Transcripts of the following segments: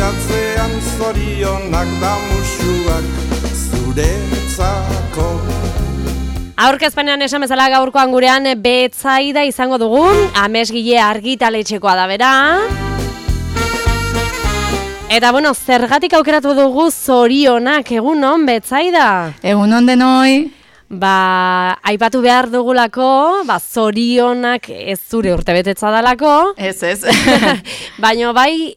atzean zorionak da musuak zuretzako. Aurkezpenean esan bezala gaurkoan gurean Betsaida izango dugun, Amesgile argitaletxekoa da bera. Eta bueno, zergatik aukeratu dugu zorionak, egunon Betsaida? Egunon denoi. Aipatu behar dugulako, zorionak ez zure urtebetetza dalako. Ez. Baina bai,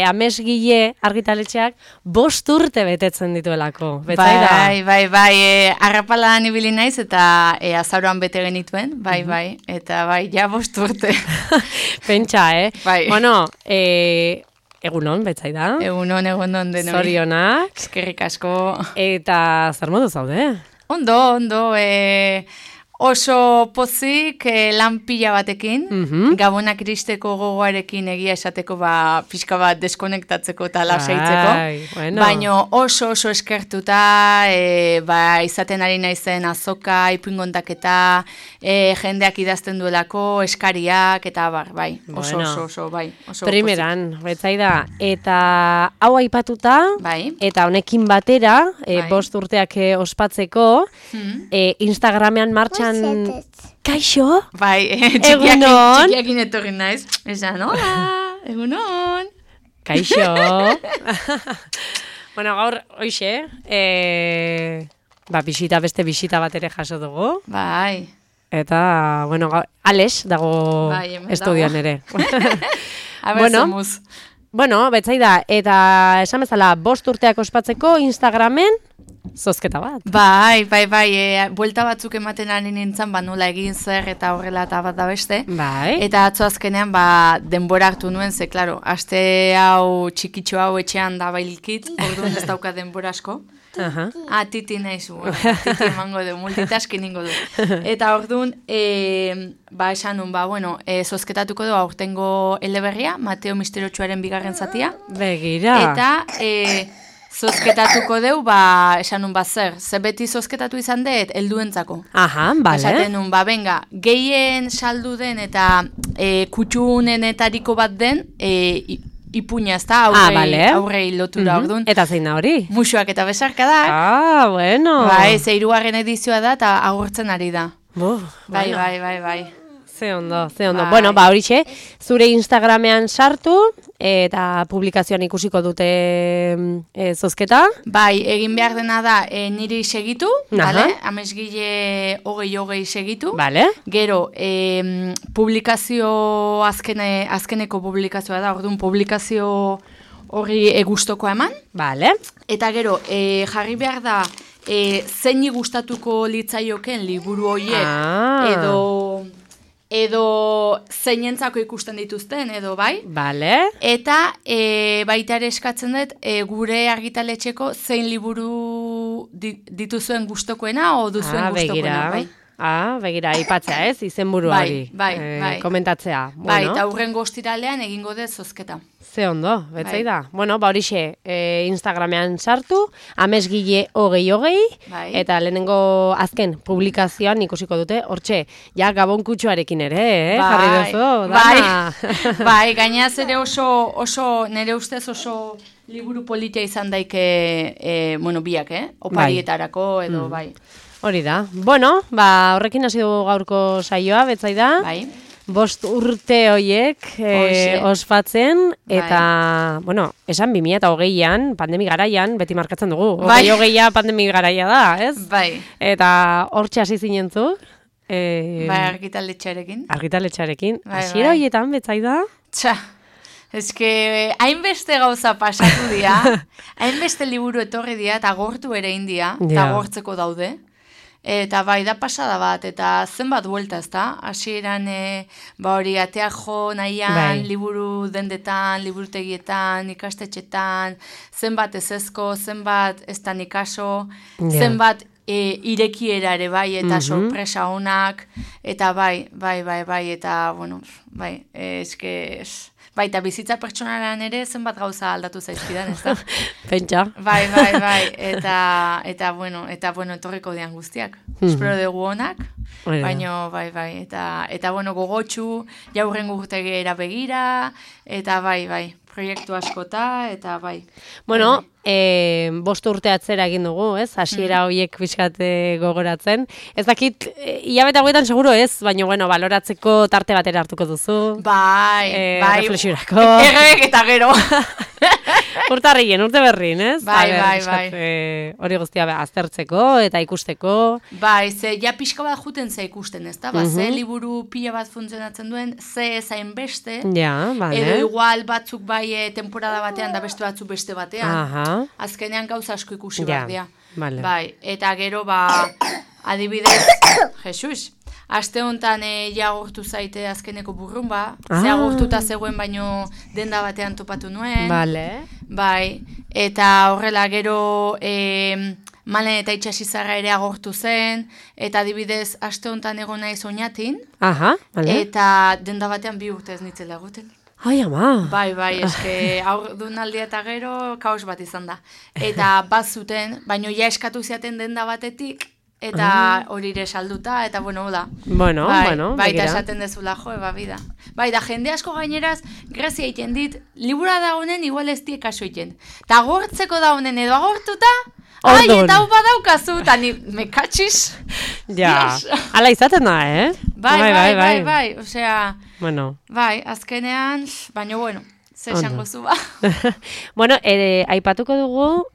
Amesgile argitaletxeak 5 urte betetzen dituelako. Betsaida? Bai. Arrapalan ibili naiz eta azaroan bete genituen, bai. Eta ja 5 urte. Pentsa, Bai. Bueno, egunon, Betsaida? Egunon denoi. Zorionak. Eskerrik asko. Eta zer modu zaude? Ondo, oso pozik lan pila batekin, Gabonak iristeko gogoarekin egia esateko pixka bat deskonektatzeko eta lasaitzeko, bueno. Baina oso eskertuta, izaten ari naizen azoka, ipuingontaketa, jendeak idazten duelako, eskariak, eta bai, oso primeran, Betsaida, eta hau aipatuta, bai. Eta honekin batera, 5 urteak ospatzeko, Instagramean martxan kaixo? Bai, txikiakin etorri naiz. Esan, hola, egunon. Kaixo. Bueno, gaur, hoxe, beste bisita bat ere jaso dugu. Bai. Eta, bueno, Alex dago estudioan ere. Bueno, Betsaida, eta esan bezala 5 urteak ospatzeko Instagramen zozketa bat. Bai, buelta batzuk ematen ari nintzen, nola egin zer eta horrela eta bat da beste. Bai. Eta atzo azkenean, denbora hartu nuen, ze, klaro, aste hau txikitxo hau etxean da bailkit, orduan ez dauka denbora asko. Titi naiz, titi emango du, multitasking ingo du. Eta orduan, esan nun, zozketatuko du aurtengo eleberria, Mateo Misterotsuaren 2. zatia. Begira. Eta zozketatuko deu, esan nun zer beti zozketatu izan dut, helduentzako. Bale. Esaten nun, benga, gehien saldu den eta kutxunenetariko bat den, ipuña, ez da, aurrei lotura orduan. Eta zein da hori? Musuak eta besarkadak. Bueno. Bai, 3. edizioa da eta agurtzen ari da. Bai. Ze ondo. Bueno, horixe, zure Instagramean sartu eta publikazioan ikusiko dute zozketa. Bai, egin behar dena da niri segitu, Amesgile 2020 segitu. Vale. Gero, publikazio azkeneko publikazioa da, orduan publikazio hori gustoko eman. Vale. Eta gero, jarri behar da zeini gustatuko litzaioken liburu horiek edo zeinentzako ikusten dituzten, edo bai. Vale. Eta baita ere eskatzen dut, gure argitaletxeko zein liburu dituzuen gustokoena o duzuen gustokoena, bai. Begira, aipatzea ez, izenburuari. Bai. Komentatzea. Bai, eta hurren ostiralean egingo dut zozketa. Ze ondo, Betsaida. Bueno, horixe, Instagramean sartu, Amesgile 2020, eta lehenengo azken publikazioan ikusiko dute, hortxe, Gabon kutxuarekin ere, jarri duzu, Bai, gainaz ere oso, nire ustez oso liburu politia izan daike, biak, oparietarako edo, bai. Hori da. Bueno, horrekin hasi dugu gaurko saioa, Betsaida. Bai. 5 urte horiek ospatzen, eta, esan 2020an, pandemi garaian, beti markatzen dugu. 2020a pandemi garaia da, ez? Bai. Eta hortxe hasi zinentzu. Argitaletxarekin. Hasiera horietan, Betsaida? Hainbeste gauza pasatu dira, hainbeste liburu etorri dira, eta gortu ere india, eta gortzeko daude. Eta da pasada bat, eta zenbat buelta, ez da? Hasieran hori atea jo nahian, liburu dendetan, liburutegietan, ikastetxetan, zenbat ezezko, zenbat ez da nikaso, zenbat irekiera ere bai, eta sorpresa honak, eta bai, eta, eta bizitza pertsonalan ere zenbat gauza aldatu zaizkidan, ez da? Pentsa. Bai, eta etorriko dian guztiak. Espero dugu honak, baina, eta gogotxu, jaurren gurtegera begira, eta proiektu askota, eta bai. Bueno, 5 urte atzera egin dugu, ez? Hasiera horiek pixkat gogoratzen. Ez dakit, hilabete hauetan seguro ez, baina, bueno, baloratzeko tarte batera hartuko duzu. Bai. Reflexiorako. Errek eta gero. Urtarrien, urte berrin, ez? Bai. Hori guztia aztertzeko eta ikusteko. Bai, ze ja pixka bat juten ze ikusten, ez da? Ze liburu pila bat funtzionatzen duen, ze ezain beste. Ja, bale. Edo igual batzuk bai temporada batean da beste batzuk beste batean. Aha. Azkenean gauza asko ikusi behar dira. Vale. Bai, eta gero adibidez, Jesus, aste honetan agortu zaite azkeneko burrumba, ze agortuta zegoen baino denda batean topatu nuen. Vale. Bai, eta horrela gero Malen eta Itxasizarra ere agortu zen, eta adibidez aste honetan egon naiz Oñatin, eta denda batean 2 urte ez nitzela egoten. Ai, ama. Bai, eske aurdunaldia eta gero kaos bat izan da. Eta bazuten, baino ja eskatu ziaten denda batetik, eta hori ere salduta, eta bueno, hola. Bueno, bai, eta esaten dezula, bida. Bai, da jende asko gaineraz, grazia egiten dit, libura da honen igual ez die kaso egiten. Ta agortzeko da honen edo agortuta, ai, eta hau badaukazu, eta ni mekatxiz. Ja, ala izaten da, Bai, osea... Bueno. Bai, azkenean, baina bueno, ze esango zu ba. Bueno, aipatuko dugu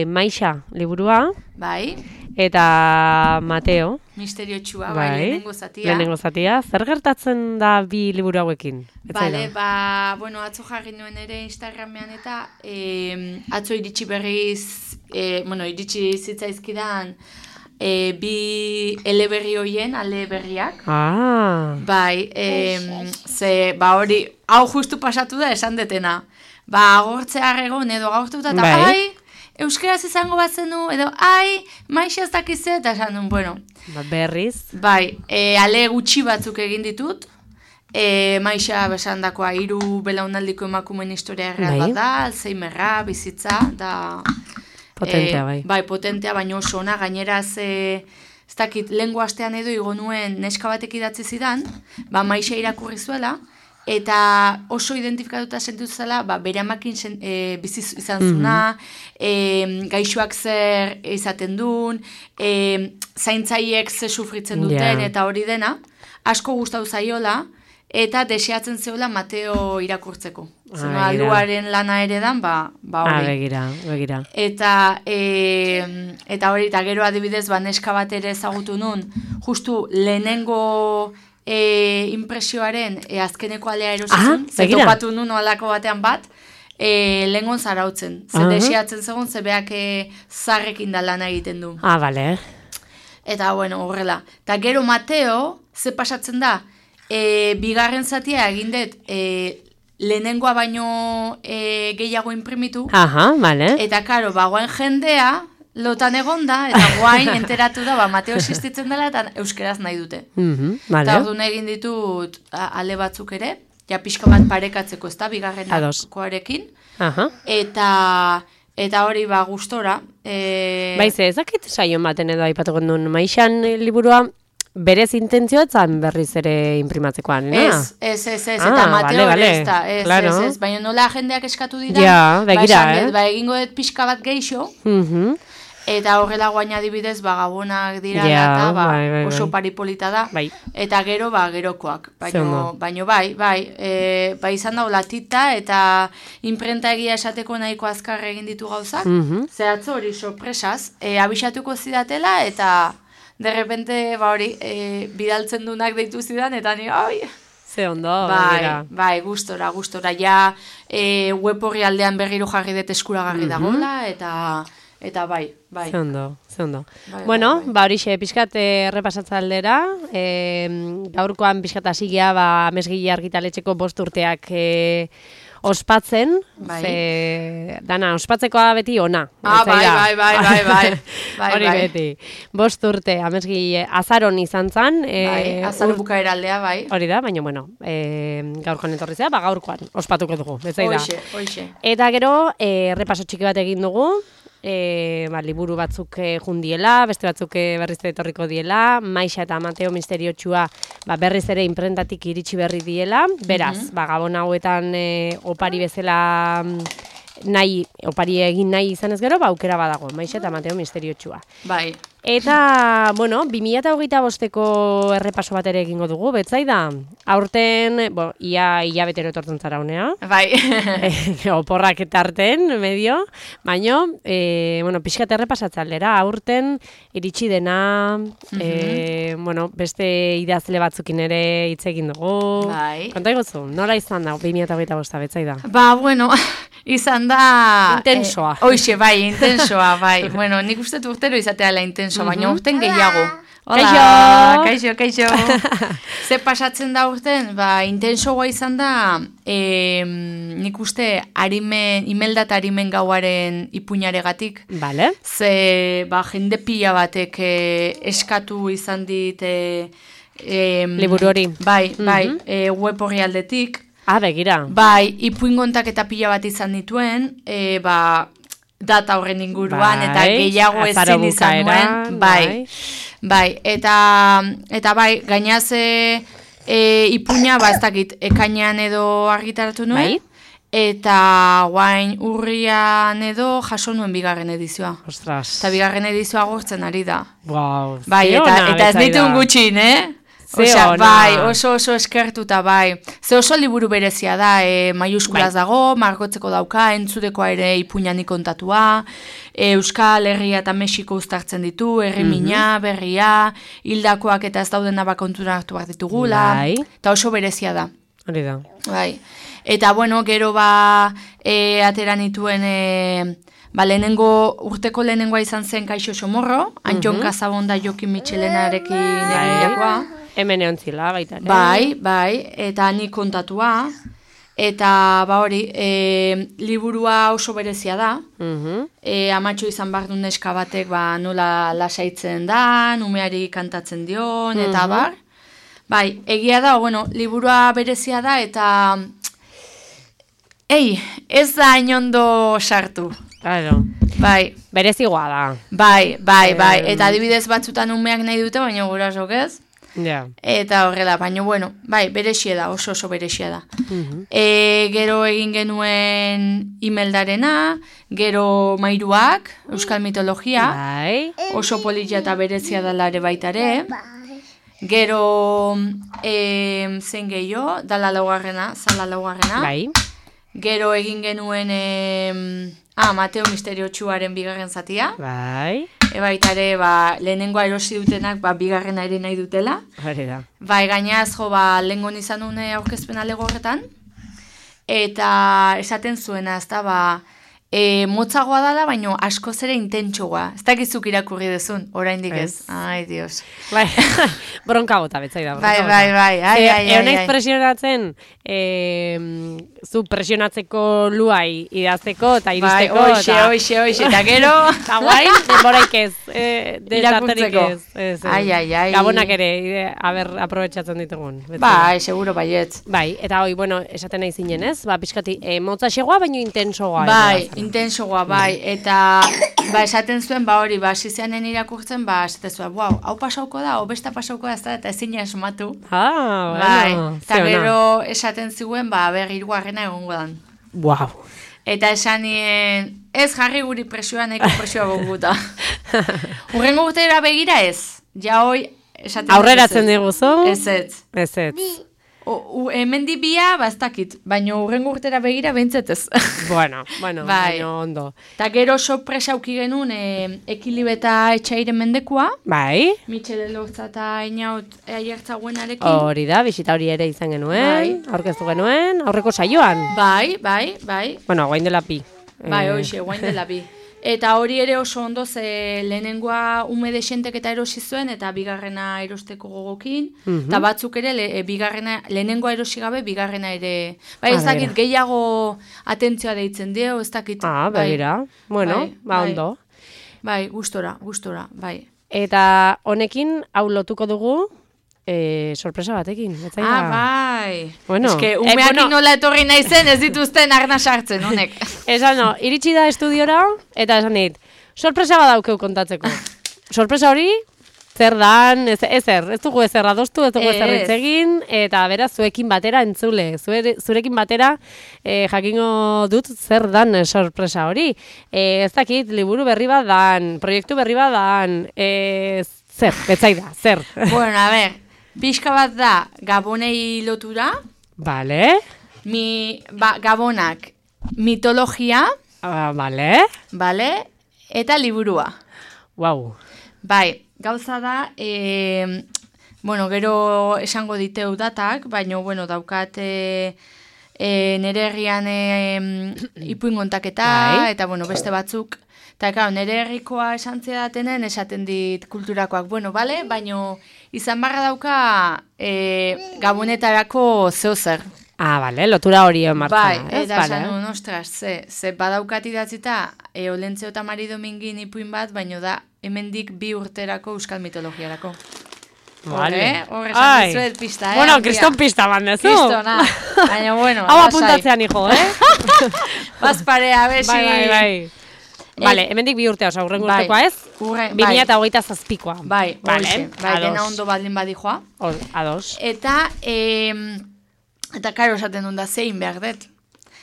Maixa liburua. Bai. Eta Mateo. Misteriotsua, bai, lehenengo zatia. Lehenengo zatia. Zer gertatzen da 2 liburu hauekin? Bale, bueno, atzo jarri nuen ere Instagramean eta atzo iritsi berriz, iritsi zitzaizkidan 2 eleberri hoien, ale berriak. Bai, ze, hori, hau justu pasatu da esan detena. Agortzea egon edo agortuta, eta euskeraz izango bat zenu, edo, Maixa ez dakize, eta esan duen, bueno. Berriz. Bai, ale gutxi batzuk egin ditut, Maixa besandakoa 3 belaunaldiko emakumeen historia erreal bat da, Alzheimerra, bizitza, da... Potentea, bai. Bai, potentea, baina oso ona, gaineraz, ez dakit, lehengo astean edo igo nuen neska batek idatzi zidan, Maixa irakurri zuela, eta oso identifikatuta sentu zela, bere amakin bizi izan zuna, gaixoak zer izaten duen, zaintzaiek ze sufritzen duten, eta hori dena, asko gustatu zaiola, eta deseatzen zeola Mateo irakurtzeko. Zena, aluaren lana ere dan, hori. Begira. Eta hori, eta gero adibidez, neska bat ere ezagutu nun, justu lehenengo impresioaren azkeneko alea erosizun, zetopatu nun alako batean bat, lehengon zarautzen. Ze deseatzen zegoen, ze beak zarrekin da lana egiten du. Bale. Eta, bueno, horrela. Eta gero Mateo, ze pasatzen da, 2. zatia egin dut lehenengoa baino gehiago imprimitu. Bale. Eta, karo, guain jendea lotan egon da, eta guain enteratu da, Mateo existitzen dela, eta euskeraz nahi dute. Eta orduan egin ditut ale batzuk ere, ja pixka bat parekatzeko, ez da, 2. Eta hori gustora. Baize, ezakit saion baten edo aipatuko duen Maixan liburua, berez intentzioa etzan berriz ere imprimatzekoan, Ez, eta Mateo ez da, ez, baina nola jendeak eskatu dira, egingo dut pixka bat geixo, eta horrela guaina adibidez, gabonak dira, eta oso paripolita da, eta gero, gerokoak, baina bai, izan da latita, eta imprenta egia esateko nahiko azkar egin ditu gauzak, zehatzo hori sorpresaz, abisatuko zidatela, eta de repente, hori, bidaltzen dunak deitu zidan, eta ni, Ze ondo, bai, gustora, ja, web horri aldean berriro jarri dut eskuragarri dagoela, eta bai. Ze ondo. Bueno, horixe, pixkat errepasatza aldera, gaurkoan pixkat hasigia, Amesgile argitaletxeko 5 urteak ospatzen, dana, ospatzekoa beti ona. Bai. Hori beti. 5 urte, Amesgile, azaron izan zan. Azaro bukaera aldea, bai. Hori da, baina, bueno, gaurkoan etorri zera, gaurkoan ospatuko dugu. Hoxe. Eta gero, repaso txiki bat egin dugu, liburu batzuk jundiela, beste batzuk berriz etorriko diela, Maixa eta Mateo Misteriotxua berriz ere imprentatik iritsi berri diela, beraz, gabon hauetan opari bezala opari egin nahi izan ez gero, aukera badago, Maixa eta Mateo Misteriotxua. Bai. Eta, 2025ko errepaso bat ere egingo dugu, Betsaida. Aurten, ia betero etortzen zara honea. Bai. Oporrak etarten, medio. Baina, pixkat errepasatzaldera, aurten iritsi dena, beste idazle batzukin ere hitz egin dugu. Bai. Konta egozu, nola izan da, 2025, Betsaida? Izan da... Intensoa. Hoxe, bai, intensoa, bai. Nik uste urtero izateala intenso, baina urten gehiago. Hola! Kaixo. Ze pasatzen da urten? Intensoa izan da, nik uste Imelda eta Arimen gauaren ipuinaregatik. Bale. Ze, jende pila batek eskatu izan dit... liburu hori. Bai, web horri aldetik. Begira. Bai, ipuingontak eta pila bat izan dituen, data horren inguruan, eta gehiago ezin izan nuen. Bai, eta bai, gainaz ipuina, ez dakit, ekainean edo argitaratu nuen, eta guain urrian edo jaso nuen bigarren edizioa. Ostras. Eta bigarren edizioa gortzen ari da. Wow, bai, eta ez ditun gutxin, bai, oso eskertuta, bai. Ze oso liburu berezia da, maiuskulaz dago, margotzeko dauka, entzudekoa ere ipuñanik kontatua, Euskal Herria eta Mexiko uztartzen ditu, herrimina, berria, hildakoak eta ez dauden abakontura hartu bat ditugula, eta oso berezia da. Hori da. Bai. Eta, gero atera nituen... urteko lehenengoa izan zen Kaixo Somorro, Antxon Kazabonda Jokin Mitxelenarekin egindakoa. Hemen egon zila, baita. Bai, eta nik kontatua, eta liburua oso berezia da, amatxo izan behar duen neska batek nola lasaitzen da, umeari kantatzen dion, eta bar. Bai, egia da, liburua berezia da, eta ez da inondo sartu. Claro. Bai. Berezigoa da. Bai. Eta adibidez batzutan umeak nahi dute, baina gurasok ez. Ja. Eta horrela, baina berexia da, oso berexia da. Gero egin genuen Imeldarena, gero Mairuak, Euskal Mitologia, oso politia eta berezia dela ere baitare. Gero zen gehiago, Zala laugarrena. Gero egin genuen Mateo Misteriotxuaren bigarren zatia. Baitare, lehenengoa erosi dutenak bigarrena ere nahi dutela. Gainaz, lehengon izan duen aurkezpena lego horretan. Eta esaten zuena, ez da, motzagoa dala, baina asko zere intentsoa. Ez dakizuk irakurri dezun, oraindik ez. Ai, Dios. Bronka gota, Betsaida. Bai. Eonaiz presionatzen, zu presionatzeko luai idazteko eta iristeko. Hoxe, eta gero. Eta guain, denboraik ez. Irakurtzeko. Ai. Gabonak ere, aprobetxatzen ditugun. Bai, seguro baietz. Bai, eta esaten nahi zinen ez? Piskati, motza xegoa, baina intensoa. Bai, intensoa, bai, eta esaten zuen, zizeanen irakurtzen, esaten zuen, hau pasauko da, besta pasauko da, eta ezin esmatu. Eta gero esaten zuen, hirugarrena egongo dan. Wow. Eta esan nien, ez jarri guri presioa, nahiko presioa gonguta. Urrengo gutera begira ez, ja hoi esaten dut. Aurreratzen diguzu? Ez. Hemen dibia, ez dakit, baina urrengo urtera begira behintzet ez. Bueno, baina ondo. Eta gero sorpresa auki genuen Ekilibeta Etxairen mendekua. Bai. Mitxele Lortza eta Inaut aiertzaguenarekin. Hori da, bisita hori ere izan genuen, aurkeztu genuen, aurreko saioan. Bai. Bueno, guain dela pi. Bai, hoxe, guain dela pi. Eta hori ere oso ondo, ze lehenengoa ume desentek eta erosi zuen, eta bigarrena erosteko gogokin, eta batzuk ere lehenengoa erosi gabe, bigarrena ere, ez dakit gehiago atentzioa deitzen dio, ez dakit. Begira, ondo. Bai, gustora, bai. Eta honekin, hau lotuko dugu, sorpresa batekin. Bai. Bueno, umeakin nola etorri naizen ez dituzten arna sartzen, honek. Esan, iritsi da estudiora, eta esan dit, sorpresa badaukeu kontatzeko. Sorpresa hori, zer dan, ez dugu ezer adostu, ez dugu ezer itzegin, eta beraz, zuekin batera entzule, zurekin batera jakingo dut zer dan sorpresa hori. Ez dakit, liburu berri bat dan, proiektu berri bat dan, zer, betzaida, zer. Bueno, a ver, pixka bat da Gabonei lotura. Vale. Gabonak mitologia. Vale. Vale, eta liburua. Wow. Bai, gauza da, gero esango diteu datak, baina, daukat nere herrian ipuingontaketa, eta, beste batzuk. Eta, nere herrikoa esantzea datenen, esaten dit kulturakoak, bale, baina izan barra dauka gabonetarako zeozer. Bale, lotura hori martza. Bai, eta esan nuen, ostras, ze badaukat idatzita, Olentzio eta Mari Domingin ipuin bat, baina da, hemendik 2 urterako euskal mitologiarako. Vale. Horre esan dizuet pista, Bueno, kriston pista bandezu. Kristona. Baina, hau apuntatzean, hijo, Bazparea, besi. Bai. Vale, hemendik 2 urtea, oza, urren urtekoa ez? 2027koa. Bai, dena ondo baldin badijoa. Ados. Eta karo esaten duen da, zein behar dut.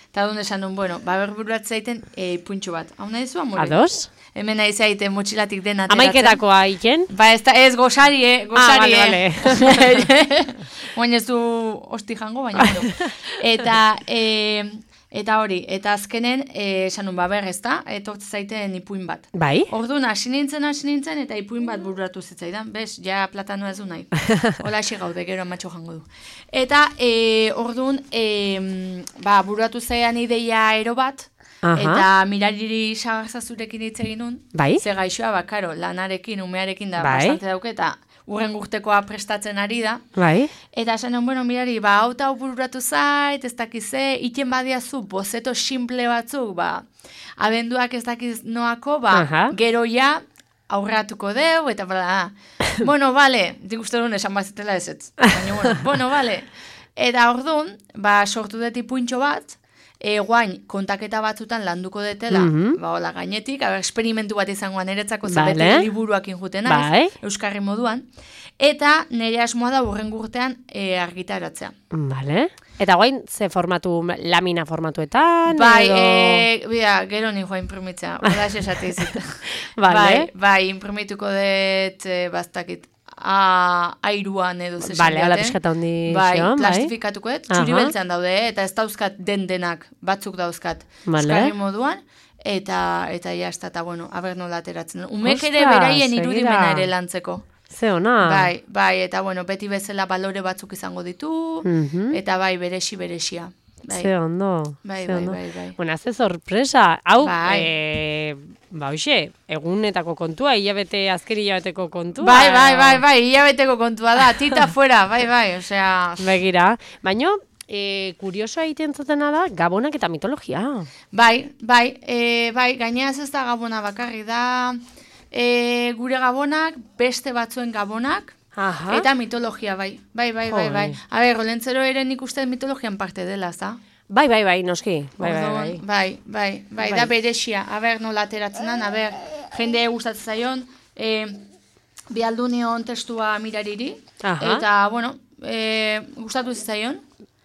Eta duen esan duen, berburuatze zaiten puntxo bat. Hau nahi zu, amore? Ados? Hemen nahi zaiten motxilatik den ateratzen. Amaiketakoa iken? Ez gosarie. Vale. Oain ez du hosti jango, baina. Eta hori, eta azkenen, esan nun, ezta, etortze zaiten ipuin bat. Bai? Orduan, hasi nintzen, eta ipuin bat bururatu zitzaidan, bez, ja platanoa ez du nahi. Hola, hasi gaude, gero amatxo jango du. Eta, orduan, bururatu zaidan ideia ero bat, eta mirariri sagarzazurekin hitz egin nun, ze gaixoa, karo, lanarekin, umearekin da, bastante dauke, eta urren urtekoa prestatzen ari da. Bai. Eta esan mirari, hau bururatu zait, ez dakize, iten badiazu, bozeto simple batzuk, abenduak ez dakiz noako, gero ja, aurratuko deu, eta bale, dik uste duen esan bazetela ez. Baina, bale. Eta orduan, sortu dut ipuintxo bat, guain kontaketa batzutan landuko detela, hola gainetik, esperimentu bat izangoan niretzako zabete liburuak injuten naiz, euskarri moduan, eta nire asmoa da urren urtean argitaratzea. Vale. Eta guain, ze formatu, lamina formatuetan? Gero ni joa imprimitzea, hola esate izit. Bai, imprimituko dut, bastakit, airuan edo zesan Vale, ala pixkata hondi plastifikatuko dut, txuri beltzean daude, eta ez dauzkat denak, batzuk dauzkat, euskarri moduan, eta jazta, eta aber nola ateratzen. Umek ere beraien irudimena ere lantzeko. Ze ona. Bai, eta beti bezala balore batzuk izango ditu, eta beresia. Ze ondo. Bai. Bueno, ze sorpresa. Hau, egunetako kontua, azken hilabeteko kontua. Bai, hilabeteko kontua da, tita fuera, bai, osea... Begira, baina, kuriosoa egiten zutena da, gabonak eta mitologia. Bai, gaineaz ez da gabona bakarri da, gure gabonak, beste batzuen gabonak, eta mitologia, bai. A ber, Olentzero ere nik uste mitologian parte dela, ez da? Bai, noski. Bai, da beresia. A ber, nola ateratzen dan, a ber, jende gustatzen zaion, bialdu nion testua mirariri, eta, gustatu zaion.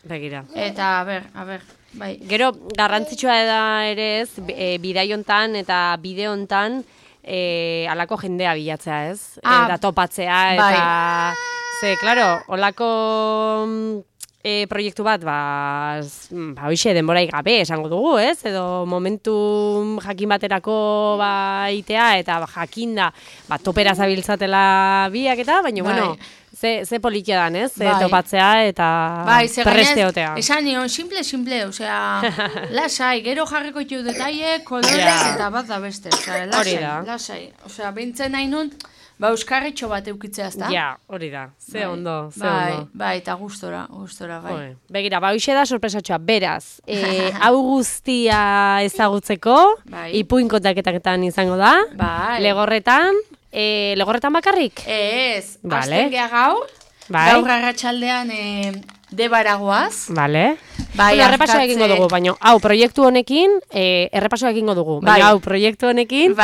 Begira. Eta, a ber, bai. Gero, garrantzitsua da ere ez, bidai hontan eta bide hontan, alako jendea bilatzea, ez? Eta topatzea, eta... Ze, klaro, olako proiektu bat, denborai gabe esango dugu, ez? Edo momentu jakin baterako itea, eta jakinda, topera zabiltzatela biak eta, baina, ze polikia dan, ez? Topatzea eta presteotea. Esan nion, simple, osea, lasai, gero jarriko ditu detaile, kolorek, eta bat da beste, lasai. Osea, bintzen nahi nun, euskarritxo bat eukitzea, ez da? Ja, hori da, ze ondo. Bai, eta gustora, bai. Begira, hoxe da sorpresatxoa, beraz, hau guztia ezagutzeko, ipuin kontaketan izango da, Legorretan bakarrik? Ez, azten geha gaur, Gaur arratsaldean Debaragoaz. Vale. Bai, errepasoa egingo dugu, baina hau proiektu honekin, errepasoa egingo dugu, baina hau proiektu honekin,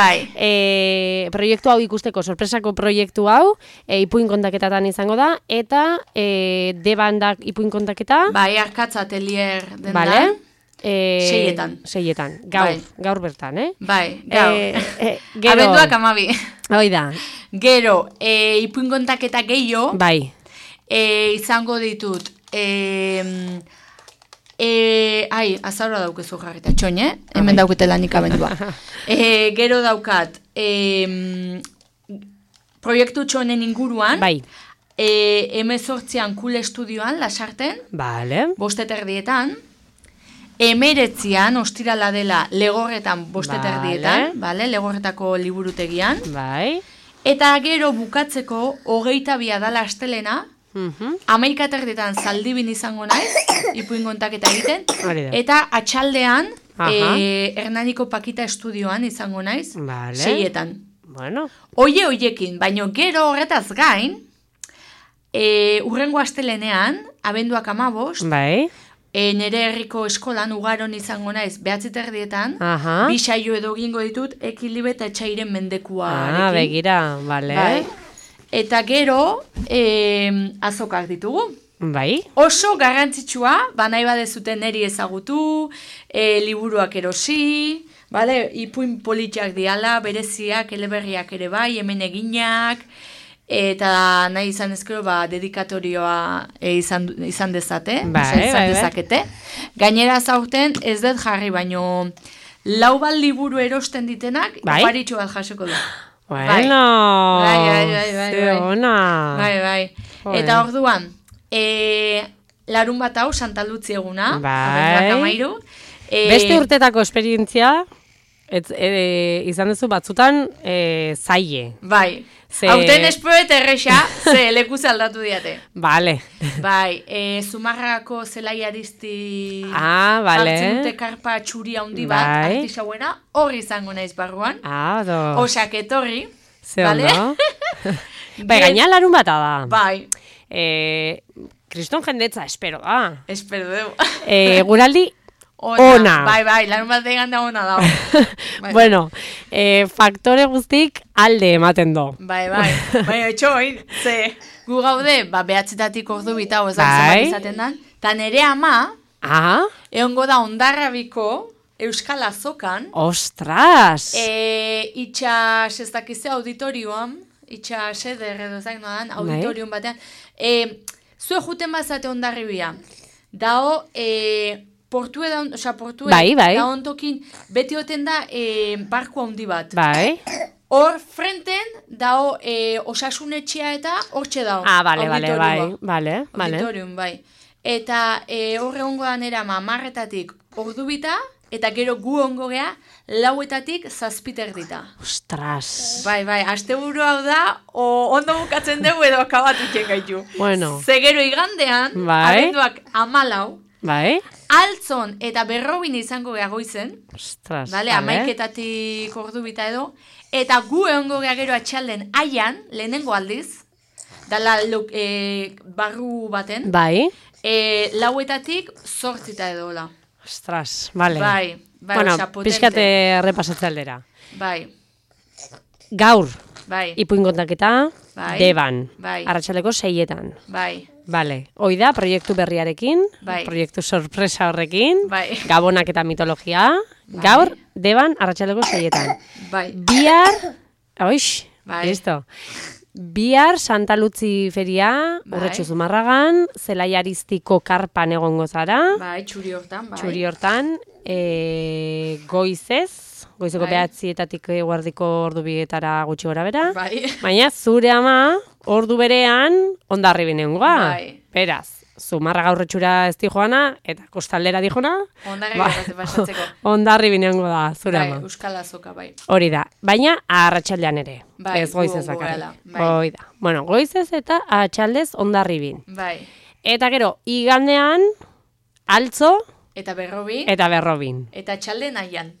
proiektu hau ikusteko, sorpresako proiektu hau, ipuin kontaketatan izango da, eta Debandak ipuin kontaketa. Bai, Arkatz Atelier dendan. Vale. Seietan. Gaur bertan, Bai, gaur. Abenduak 12. Hoi da. Gero, ipuin kontaketa gehiago. Bai. Izango ditut, azaroa daukezu jarrita, txoin, hemen dauketela nik abendua. Gero daukat, proiektu txonen inguruan, bai. 18an Kul Estudioan, Lasarten, vale. 7:30, 19an, ostirala dela, Legorretan 7:30, vale. Legorretako liburutegian, bai. Eta gero bukatzeko 22 dala astelena, 11:30 Zaldibin izango naiz, ipuin kontaketa egiten, eta atxaldean Hernaniko Pakita Estudioan izango naiz, 6etan. Bueno. Hoiekin, baino gero horretaz gain, urrengo astelenean, abenduak 15, bai. Nere herriko eskolan ugaron izango naiz 9:30, bi saio edo egingo ditut Ekilibe eta Etxairen mendekua. Begira, bale. Bai. Eta gero, azokak ditugu. Bai. Oso garrantzitsua, nahi badezuten neri ezagutu, liburuak erosi, bale? Ipuin politxak diala, bereziak, eleberriak ere bai, hemen eginak, eta nahi izan ezkero, dedikatorioa izan dezate, izan dezakete. Gainera zaurten, ez dut jarri, baino 4 liburu erosten ditenak, oparitxo bat jasoko du. Bueno, bai. Eta orduan, larun bat hau, Santa Lutzi eguna, beste urtetako esperientzia, izan duzu batzutan zaie. Bai, hauten espoet erresa, ze lekuz aldatu diate. Vale. Bai, Zumarragako Zelai Aristi hartzen dute karpa txuri handi bat, artisauena, hori izango naiz barruan. Osak etorri. Ze ondo. Bai, gaina larun bata da. Bai. Kriston jendetza, espero da. Espero dugu. Guraldi ona. Bai, larun bat egan da ona dago. Bueno, faktore guztik alde ematen do. Bai, etxoin, ze gu gaude, behatzetatik ordu bita, ozak izaten dan, eta nere ama, egongo da Hondarrabiko Euskal Azokan. Ostras! Itxas ez dakize auditorioan, itxas eder edo zain nodan, auditorion batean. Zue juten bazate Hondarribia, dao, portue da ontokin, beti oten da barku handi bat. Bai. Hor frenten dao osasunetxea eta hortxe dao. Bale. Auditorium, bai. Eta horre ongo da nera marretatik ordu bita, eta gero gu ongo gea 4etatik 7:30. Ostras. Bai, asteburu hau da, ondo bukatzen dugu edo akabatu txengaitu. Bueno. Ze gero igandean, abenduak 14, bai. Altzon eta Berrobin izango gea goizen. Ostras. Dale, 11etatik ordu bita edo. Eta gu egongo gea gero atxalden Aian, lehenengo aldiz, dala barru baten. Bai. 4etatik 8 edo hola. Ostras, bale. Bai, bueno, pixkate repasatze aldera. Bai. Gaur, bai. Ipuin kontaketa, Deban, bai. Arratsaleko 6etan. Bai. Bale, hoi da, proiektu berriarekin, proiektu sorpresa horrekin, Gabonak eta mitologia, gaur, Deban, Arratsaleko 6etan. Bai. Bihar, listo. Bihar Santa Lutzi feria, Urretxu Zumarragan, Zelai Aristiko karpan egongo zara. Bai, txuri hortan, goizeko 9:00 eguerdiko ordu 2:00 gutxi gora bera. Bai. Baina zure ama ordu berean Hondarribin egongoa. Bai. Beraz, Zumarraga Urretxura ez di joana, eta kostaldera di joana. Hondarribin egongo da, zure ama. Bai, Euskal Azoka, bai. Hori da, baina arratsaldean ere. Bai, ez goizez bakarrik. Hoi da. Bueno, goizez eta atxaldez Hondarribin. Bai. Eta gero, igandean, Altzo, eta Berrobin. Eta atxalden Aian.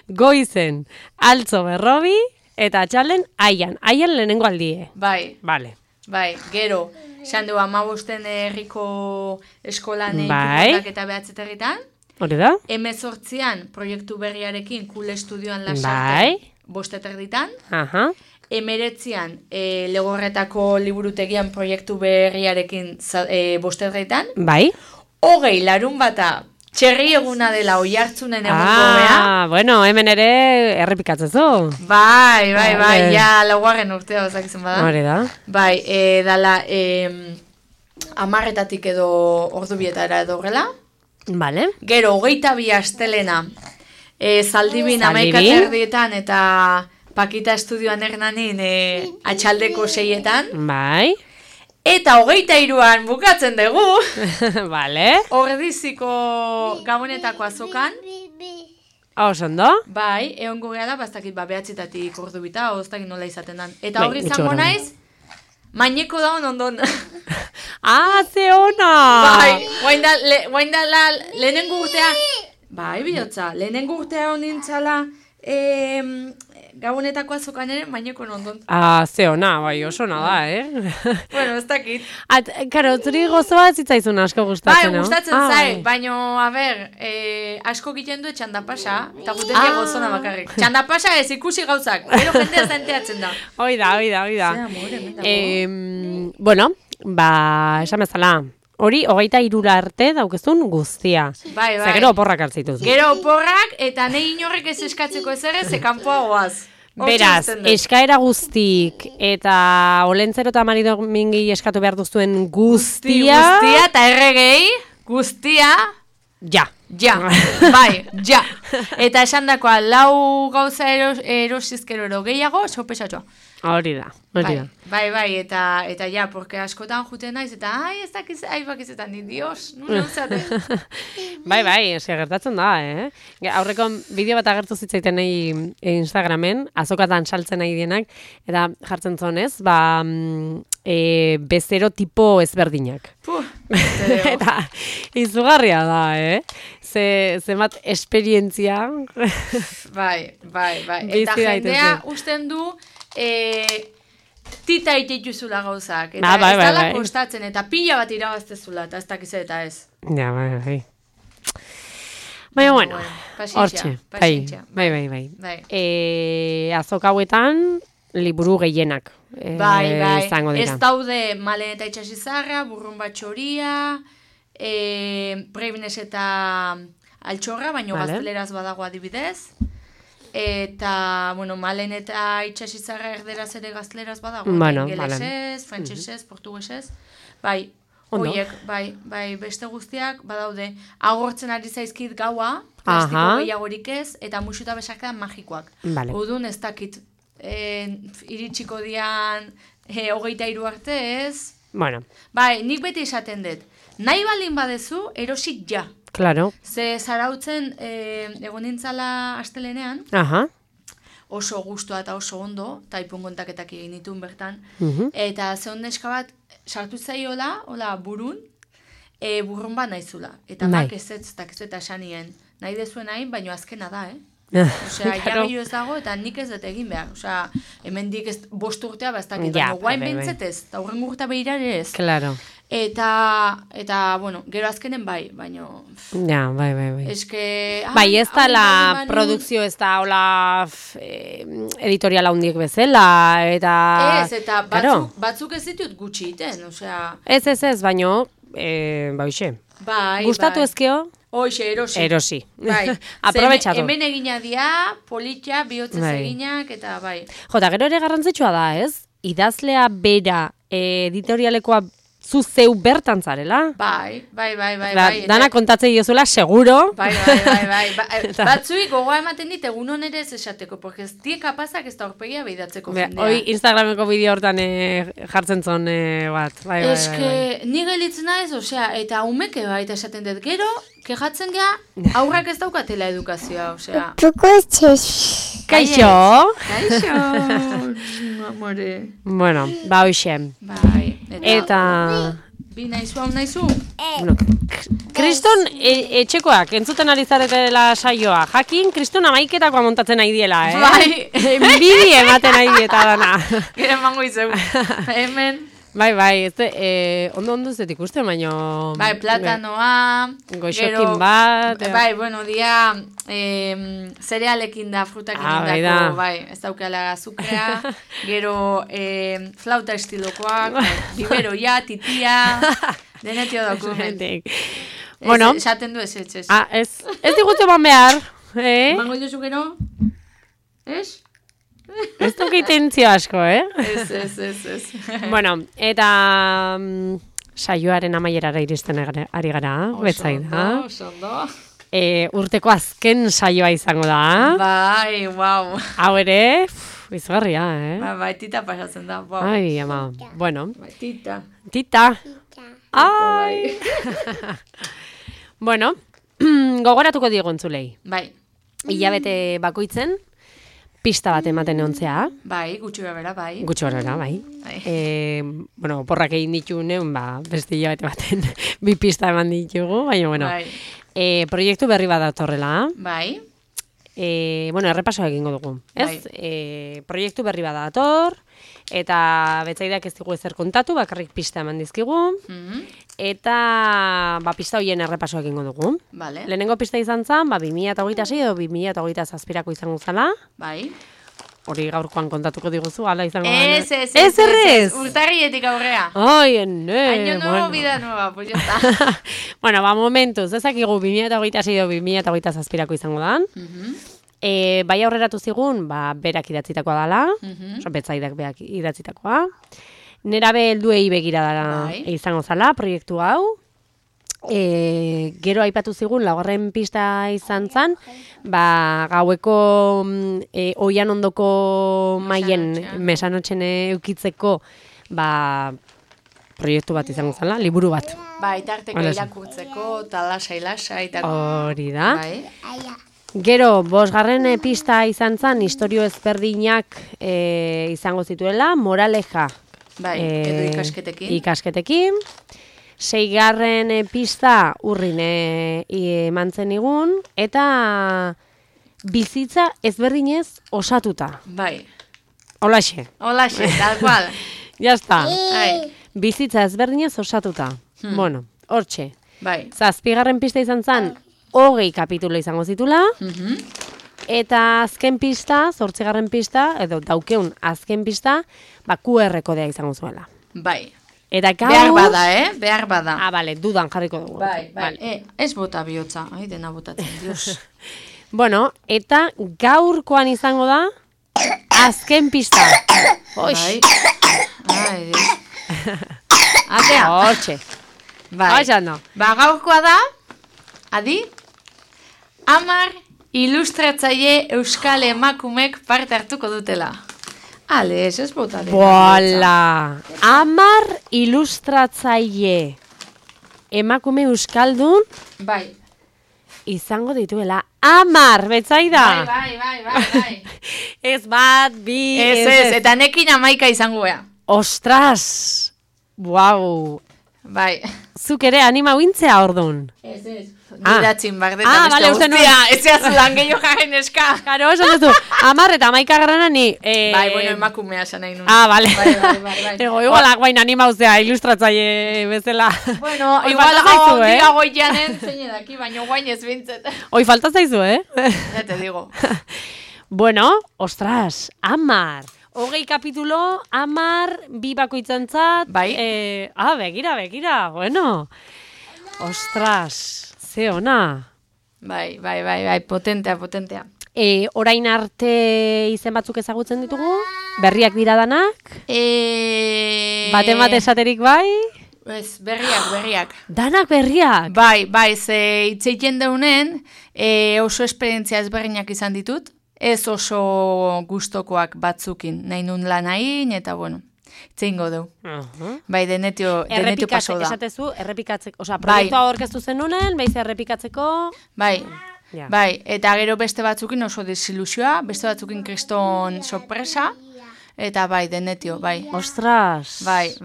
Goizen, Altzo, Berrobi, eta atxalden Aian. Aian lehenengo aldie. Bai. Vale. Bai, gero, esan du 15 herriko eskolan eta behatzeterritan. Hori da? 18an proiektu berriarekin Kule Estudioan Lasarten 5:30. Aha. 19an Legorretako liburutegian proiektu berriarekin 5:30. Bai. 20 larunbata txerri eguna dela Oiartzunen egungo bea. Bueno, hemen ere errepikatzezu. Bai, ja laugarren urtea bazakizun bada. Hori da. Bai, dala 10:00 edo ordubietara edo horrela. Vale. Gero, 22 astelena, Zaldibin 11:30 eta Pakita Estudioan Hernanin atxaldeko 6:00. Bai. Eta 23an bukatzen dugu. Vale. Ordiziko Gabonetako azokan. Osondo? Bai, egongo gara da, bastakit 9:00 ordubita, oztakit nola izaten dan. Eta hori izango naiz, maineko da ondon. Ze ona! Bai, guain da lehenengo urtea, bai, bihotza, lehenengo urtea honintzala, Gabonetako azokan ere, maineko ondon. Ze ona, bai, oso ona da, Bueno, ez dakit. Karo, zuri gozoa zitzaizun asko gustatzen, no? Bai, gustatzen zait, baina, asko giten du txandapasa, eta guten gozona bakarrik. Txandapasa ez ikusi gauzak, gero jendea zenteatzen da. Hoi da. Bueno, esan bezala, hori 23 arte daukezun guztia. Bai. Gero oporrak hartzituz. Gero oporrak, eta nahi inorrek ez eskatzeko ez ere, ze kanpoa goaz. Beraz, eskaera guztik eta Olentzero eta Marido Mingi eskatu behar duzuen guztia... Guztia eta erregei, guztia... Ja. Bai. Eta esan dakoa, 4 gauza erosizkero gehiago, sopesatxoa. Hori da. Bai, eta ja, porque askotan juten naiz, eta ez dakiz, bakizetan, dios, nune uzate. Bai, eske gertatzen da, Aurreko bideo bat agertu zitzaiten nahi Instagramen, azokatan saltzen nahi dienak, eta jartzen zonez, bezero tipo ezberdinak. Eta izugarria da, Zemat esperientzia. Bai. Eta jendea usten du, tita itituzula gauzak. Eta ez dala kostatzen, eta pila bat irabaztezula, eta ez dakiz eta ez. Ja, bai. Baina, bueno, hortxe. Bai. Azok hauetan, liburu gehienak. Bai. Ez daude Malen eta Itxasizarra, Burrun Batxoria, Prebines eta Altxorra, baino gazteleraz badago adibidez. Eta, Malen eta Itxasizarra erderaz ere gazteleraz badago. Ingelesez, frantsesez, portuguesez. Bai, horiek, bai, beste guztiak badaude. Agortzen ari zaizkit gaua, plastiko gehiagorik ez, eta musuta besarkadan magikoak. Udun ez dakit. Iritsiko dian 23 arte ez. Bueno. Bai, nik beti esaten dut. Nahi balin badezu, erosik ja. Claro. Ze zarautzen egon nintzala astelenean, oso gustua eta oso ondo, eta ipun kontaketak egin ditun bertan, eta ze neska bat sartu zaiola, hola burun, burrun bat naizula. Eta mak ez eta esanien. Nahi dezuen hain, baino azkena da, Osea, jarri ez dago eta nik ez dut egin behar. Osea, hemen dik 5 urtea bastakit. Guain bentzetez, eta horren gurta behirare ez. Claro. Eta, bueno, gero azkenen baino... Ja, bai. Eske... Bai, ez da la produkzio, ez da hola editoriala hundiek bezala, eta... Ez, eta batzuk ez ditut gutxi iten, osea... Ez, baino, baixe. Bai. Gustatu ezkeo? Hoxe, erosi. Bai. Aprobetxatu. Hemen egina dia, politia, bihotzez eginak, eta bai. Jota, gero ere garrantzitsua da, ez? Idazlea bera editorialekoa zu zeu bertan zarela. Bai. Dana kontatzei diozula, seguro. Bai. Batzui gogoa ematen dit, egun onere ez esateko, porque ez die kapazak ez da horpegia behidatzeko jendea. Hoi Instagrameko bideo hortan jartzen zon bat. Bai. Eske, ni gelitzen naiz, osea, eta umeke baita esaten dut, gero, kejatzen gea, aurrak ez daukatela edukazioa, osea. Kaixo, amore. Bueno, hoxe. Bai. Eta... Bi naizu, hau naizu? Kriston etxekoak, entzuten ari zaretela saioa. Jakin, Kriston amaiketakoa montatzen nahi diela, Bai. Bidi ematen nahi dieta dana. Gero emango izeu. Hemen. Bai, ondo zetik uste, baina... Bai, platanoa... Goixokin bat... Bai, bueno, dia zerealekin da, frutakin indako, bai, ez daukala azukrea, gero flauta estilokoak, biberoia, titia, denetio dokument. Bueno... Esaten du ez. Ez digutu eman behar, Emango duzu gero? Ez? Ez duk intentzio asko, Ez. Bueno, eta saioaren amaierara iristen ari gara, betzaida. Osondo. Urteko azken saioa izango da. Bai, wow. Hau ere, izgarria, Bai, tita pasatzen da. Wow. Ai, ama, bueno. Bai, tita. Ai! Bueno, gogoratuko diego entzulei. Bai. Hilabete bakoitzen, pista bat ematen eontzea. Bai, gutxi bera, bai. Bueno, porrak egin ditugunean, beste hilabete baten bi pista eman ditugu, baina, bueno. Bai. Proiektu berri bat datorrela. Bai. Bueno, errepasoa egingo dugu. Ez? Proiektu berri bat dator, eta betzaidak ez digu ezer kontatu, bakarrik pista eman dizkigu. Eta pista horien errepasoa egingo dugu. Vale. Lehenengo pista izan zen, 2026 edo 2027ko izango zela. Bai. Hori gaurkoan kontatuko diguzu, ala izango da. Ez. Urtarrietik aurrea. Ai, Año nuevo, vida nueva, pues ya está. Bueno, momentuz, ezakigu 2026 edo 2027ko izango da. Bai aurreratu zigun, berak idatzitakoa dela, betzaidak berak idatzitakoa. Nerabe helduei begira dela izango zala, proiektu hau. Gero aipatu zigun, laugarren pista izan zen, gaueko oian ondoko maien mesanotxen eukitzeko proiektu bat izango zala, liburu bat. Itarteko irakurtzeko, lasai, hori da. Gero, 5. pista izan zen, istorio ezberdinak izango zituela, moraleja. Edo ikasketekin. 6. pista urrin eman zen igun, eta bizitza ezberdinez osatuta. Bai. Holaxe, tal cual. Jazta. Bizitza ezberdinez osatuta. Bueno, hortxe. Bai. 7. pista izan zen, 20 kapitulo izango zitula. Eta azken pista, 8. pista, edo daukeun azken pista, QR kodea izango zuela. Bai. Eta gaur... Behar bada. Bale, dudan jarriko dugu. Bai. Ez bota bihotza, dena botatzen, dios. Bueno, eta gaurkoan izango da, azken pista. Bai. Ai, dios. Atea. Hortxe. Bai. Gaurkoa da, adi, 10 ilustratzaile euskal emakumek parte hartuko dutela. Ale, ez bota dena. Boala! 10 ilustratzaile emakume euskaldun izango dituela. 10, betzaida? Bai. Ez bat, bi... Ez, eta nekin 11 izango ea. Ostras! Wow! Bai. Zuk ere anima uintzea ordun. Ez. Nidatzin bardetan beste guztia. Ez zeazudan gehiago jaren eska. Karo, esan duzu. 10 eta 11 garrana ni... Bai, bueno, emakumea esan nahi nun. Bale. Bai. Igualak bain anima uzea ilustratzaile bezala. Bueno, igual dira goianen zein edaki, baina guain ez bintzet. Hoi falta zaizu, Ya te digo. Bueno, ostras, 10. 20 kapitulo, 10, bi bakoitzantzat. Bai. Begira, bueno. Ostras, ze ona. Bai, potentea. Orain arte izen batzuk ezagutzen ditugu? Berriak dira danak? Bat esaterik bai? Ez, berriak. Danak berriak? Bai, ze itzeiten deunen oso esperientzia ezberdinak izan ditut. Ez oso gustokoak batzukin, nahi nun lanain, eta bueno, itzengo du. Bai, denetio paso da. Esatezu, errepikatzeko, proiektua aurkeztu zenunen, beiz errepikatzeko... Bai, eta gero beste batzukin oso desilusioa, beste batzukin kriston sorpresa, eta bai, denetio, bai. Ostras! Bai.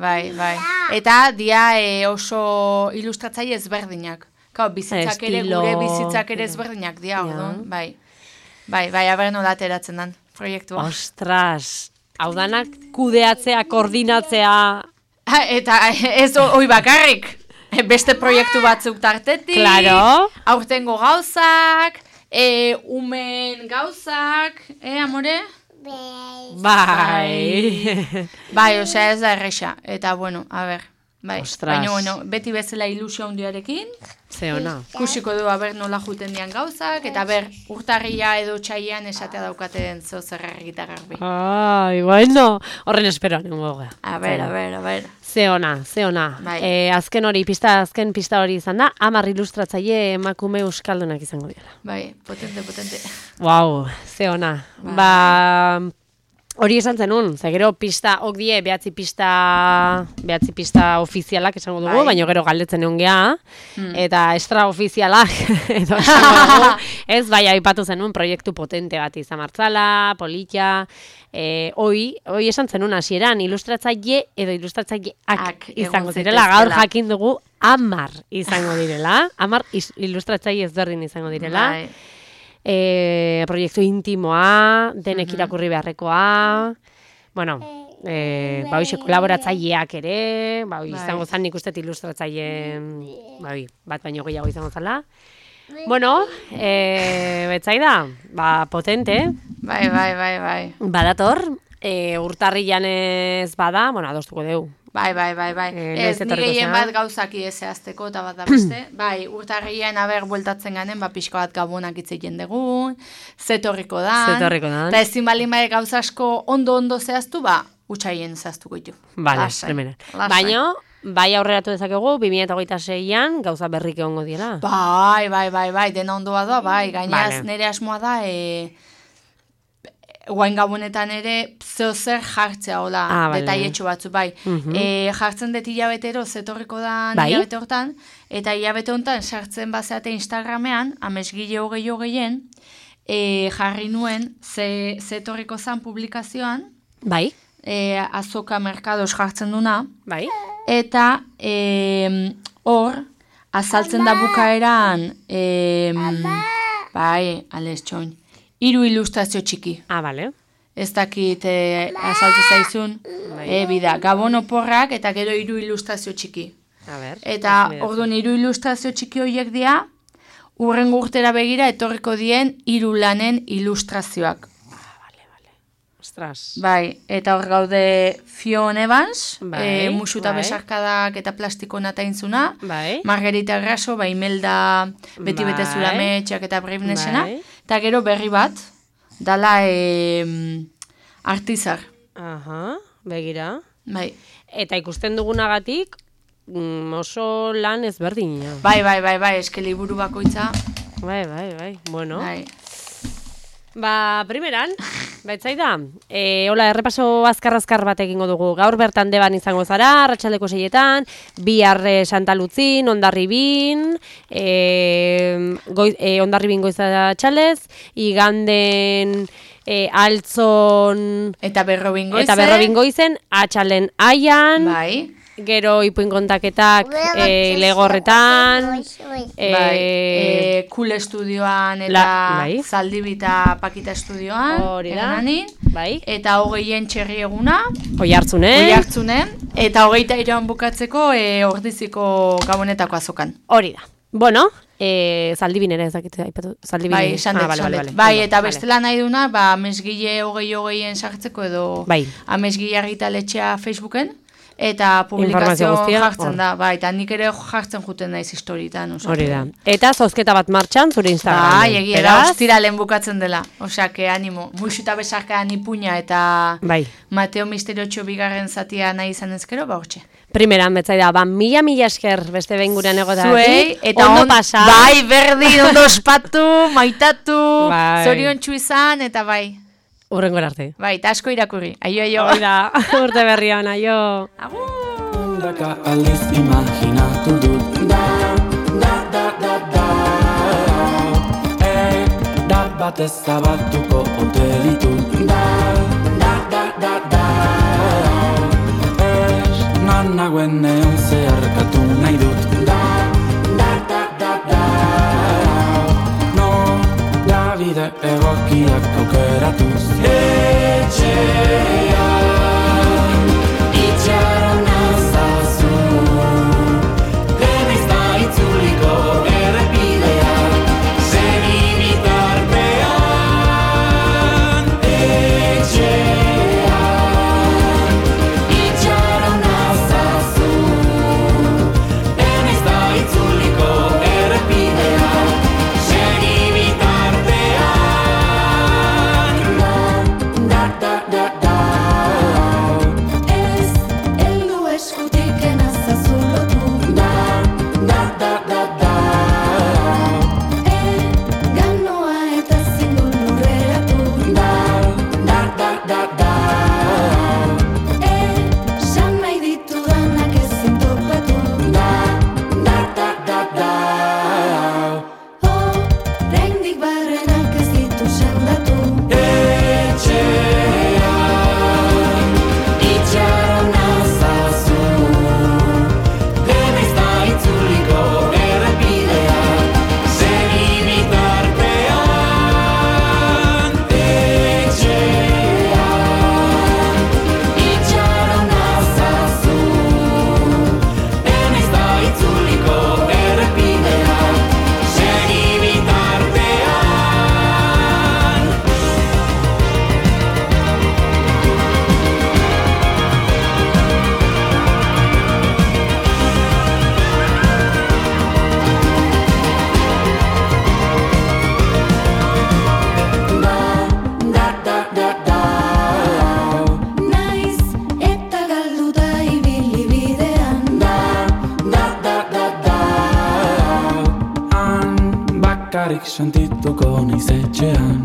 Eta dia oso ilustratzaile ezberdinak. Bizitzak ere, gure bizitzak ere ezberdinak dia, ordun, bai. Bai, aber nola ateratzen dan proiektua. Ostras, hau danak kudeatzea, koordinatzea Eta ez hoi bakarrik, beste proiektu batzuk tartetik, claro. Aurtengo gauzak, umen gauzak, amore? Bai, osea ez da erresa, eta bueno, a ber, bai, baina bueno, beti bezala ilusio handiarekin, ze ona. Kusiko du, nola juten dian gauzak, eta urtarria edo txaian esatea daukaten zeo zerrar gitar garbi. Ai, bueno, horren espero nengo gara. A ber. Ze ona. Bai. Azken pista hori izan da, 10 ilustratzaile emakume euskaldunak izango dira. Bai, potente. Wow, ze ona. Ba, hori esan zenun, ze gero pista, die, behatzi pista ofizialak esango dugu, baina gero galdetzen egon geha, eta extraofizialak, edo esango dugu, ez, bai, aipatu zenun, proiektu potente bat izan martzala, politia, hoi esan zenun hasieran, ilustratzaile edo ilustratzaileak izango zirela, gaur jakin dugu 10 izango direla, 10 ilustratzaile ezberdin izango direla, proiektu intimoa, denek irakurri beharrekoa, bueno, hoxe kolaboratzaileak ere, izango zan nik ustet ilustratzaileen, bat baino gehiago izango zala. Bueno, betzaida, potente. Bai. Badator, urtarrian ez bada, bueno, adostuko dugu. Bai. Ez, nire hien bat gauzaki ezazteko eta bat da beste. Bai, urtarrian bueltatzen ganen, pixka bat gabonak itzeien dugu, zetorriko dan. Eta ezin balin bai gauza asko ondo zehaztu, utxaien zehaztuko ditu. Bale, primera. Baina, bai aurreratu dezakegu, 2026an gauza berrik egongo diela. Bai, dena ondoa da, bai, gainaz nire asmoa da, guain gabonetan ere zer jartzea, hola, detaietxo batzu, bai. Jartzen dut hilabetero zetorriko da hilabete hortan, eta hilabete honetan sartzen bazeate Instagramean, amesgile hogei jarri nuen zetorriko zan publikazioan, bai. Azoka merkadoz jartzen duna, bai. Eta hor, azaltzen da bukaeran, bai, ales txoin, 3 ilustrazio txiki. Bale. Ez dakit azaltu zaizun, bida, gabon oporrak eta gero 3 ilustrazio txiki. Eta orduan 3 ilustrazio txiki horiek dira, urrengo urtera begira etorriko dien 3 lanen ilustrazioak. Bale. Ostras. Bai, eta hor gaude Fion Evans, musu eta besarkadak eta plastiko nataintzuna, Margarita Graso, Imelda beti betezura metxak eta Bravenessena, eta gero berri bat, dala Artizar. Begira. Bai. Eta ikusten dugunagatik, oso lan ezberdina. Bai, eske liburu bakoitza. Bai, bueno. Ba, primeran, baitzaida, hola, errepaso azkar bat egingo dugu. Gaur bertan Deban izango zara, arratsaldeko 6etan, bihar Santa Lutzin, Hondarribin, Hondarribin goiza txalez, iganden Altzon eta Berrobin goizen, atxalen aian, bai. Gero ipuin kontaketak Legorretan, Kul Estudioan eta Zaldibita Pakita Estudioan, eta 20 txerri eguna, Oiartzunen, eta 23an bukatzeko Ordiziko Gabonetako azokan. Hori da. Bueno, Zaldibin ere ezakitzea aipatu. Bai, sandet. Bai, eta bestela nahi duna, amesgile 20 sartzeko edo amesgile argitaletxea Facebooken. Eta publikazio jartzen da, eta nik ere jartzen juten naiz historietan. Hori da. Eta zozketa bat martxan zure Instagram. Bai, egia da, ostiralen bukatzen dela. Osea, que animo. Muixu eta besarkaan ipuña eta Mateo Misteriotxo bigarren zatia nahi izan ezkero, hortxe. Primeran, betzaida, mila esker beste behin gurean egotatik. Zuei, eta ondo pasa. Bai, berdin, ondo ospatu, maitatu, zorion izan, eta bai. Urrengo arte. Bai, eta asko irakurri. Aio. Oida, urte berrian, aio. Agur. Ondaka aldiz imaginatu dut. Da bat ezabatuko ote ditut. Nan nagoen neon zeharkatu nahi dut. Bide egokiak aukeratuz etxean itxaron azal etxean